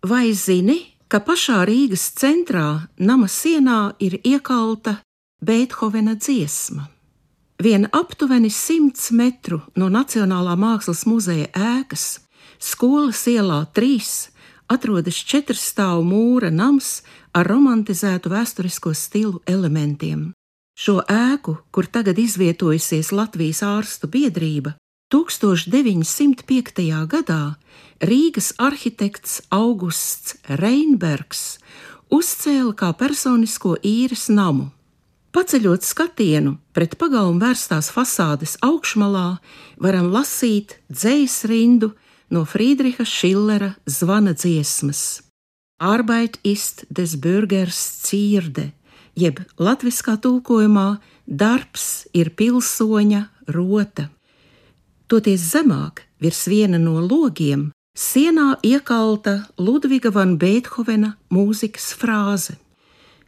Vai zini, ka pašā Rīgas centrā nama sienā ir iekalta Beethovena dziesma? Vien aptuveni 100 metru no Nacionālā mākslas muzeja ēkas, Skolas ielā 3, atrodas 4-stāvu mūra nams ar romantizētu vēsturisko stilu elementiem. Šo ēku, kur tagad izvietojusies Latvijas ārstu biedrība, 1905. gadā Rīgas arhitekts Augusts Reinbergs uzcēla kā personisko īres namu. Paceļot skatienu pret pagalmu vērstās fasādes augšmalā, varam lasīt dzejas rindu no Friedriha Schillera zvana dziesmas Arbeit ist des Bürgers Zierde, jeb latviskā tulkojumā darbs ir pilsoņa rota. Toties zemāk, virs viena no logiem, sienā iekalta Ludviga van Beethovena mūzikas frāze.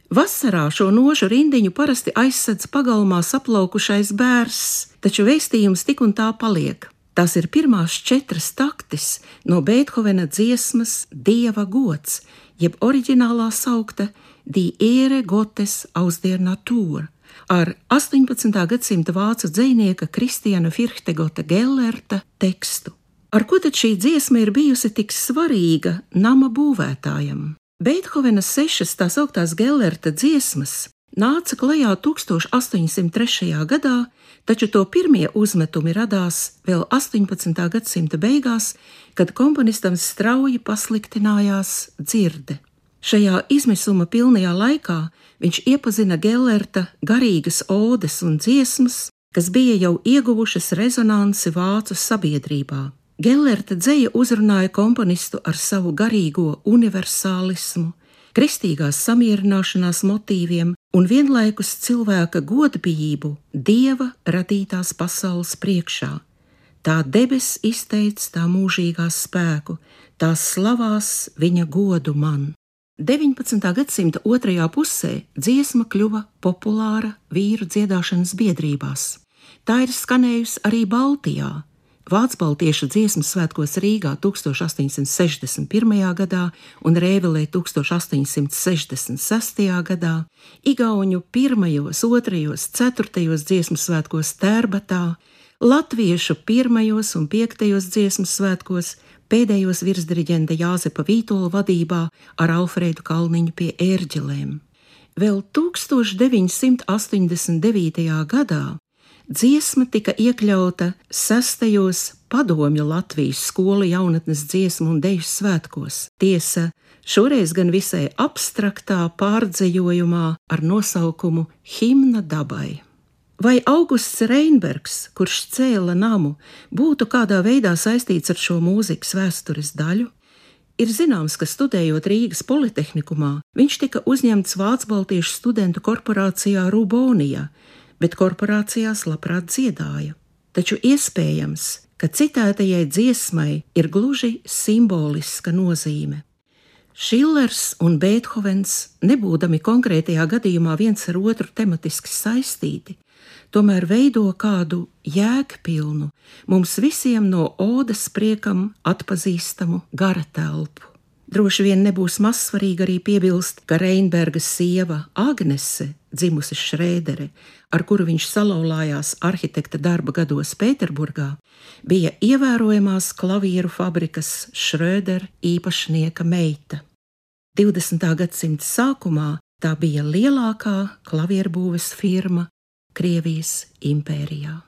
Vasarā šo nožu rindiņu parasti aizsedz pagalmā saplaukušais bērs, taču vēstījums tik un tā paliek. Tās ir pirmās 4 taktis no Beethovena dziesmas Dieva gods, jeb oriģinālā saukta Die Ehre Gottes aus der Natur, ar 18. gadsimta vācu dzejnieka Kristiana Firhtegota Gellerta tekstu. Ar ko tad šī dziesma ir bijusi tik svarīga nama būvētājam? Beethovena 6 tā sauktās Gellerta dziesmas nāca klajā 1803. gadā, taču to pirmie uzmetumi radās vēl 18. gadsimta beigās, kad komponistam strauji pasliktinājās dzirde. Šajā izmisuma pilnajā laikā viņš iepazina Gellerta garīgas odes un dziesmas, kas bija jau ieguvušas rezonanci vācu sabiedrībā. Gellerta dzeja uzrunāja komponistu ar savu garīgo universālismu, kristīgās samierināšanās motīviem un vienlaikus cilvēka godbijību Dieva radītās pasaules priekšā. Tā debes izteic tā mūžīgā spēku, tās slavās viņa godu man. 19. gadsimta otrajā pusē dziesma kļuva populāra vīru dziedāšanas biedrībās. Tā ir skanējusi arī Baltijā, Vācu-baltiešu dziesmu svētkos Rīgā 1861. gadā un Rēvelē 1866. gadā, igauņu 1., 2., 4. dziesmu svētkos Tērbatā, latviešu 1. un 5. dziesmu svētkos pēdējos virsdiriģenta Jāzepa Vītola vadībā ar Alfrēdu Kalniņu pie ērģelēm. Vēl 1989. gadā dziesma tika iekļauta 6. padomju Latvijas skolu jaunatnes dziesmu un deju svētkos. Tiesa, šoreiz gan visai abstraktā pārdzejojumā ar nosaukumu Himna dabai. Vai Augusts Reinbergs, kurš cēla namu, būtu kādā veidā saistīts ar šo mūzikas vēstures daļu? Ir zināms, ka studējot Rīgas Politehnikumā, viņš tika uzņemts Vācu-baltiešu studentu korporācijā Rubonija, bet korporācijās labprāt dziedāja. Taču iespējams, ka citētajai dziesmai ir gluži simboliska nozīme. Schillers un Beethovens, nebūdami konkrētajā gadījumā viens ar otru tematiski saistīti, tomēr veido kādu jēgpilnu, mums visiem no odes priekam atpazīstamu gara telpu. Droši vien nebūs mazsvarīgi arī piebilst, ka Reinberga sieva Agnese, dzimusi Šrēdere, ar kuru viņš salauzās arhitekta darba gados Pēterburgā, bija ievērojamās klavieru fabrikas Schröder īpašnieka meita. 20. gadsimta sākumā tā bija lielākā klavierbūves firma Krievijas impērijā.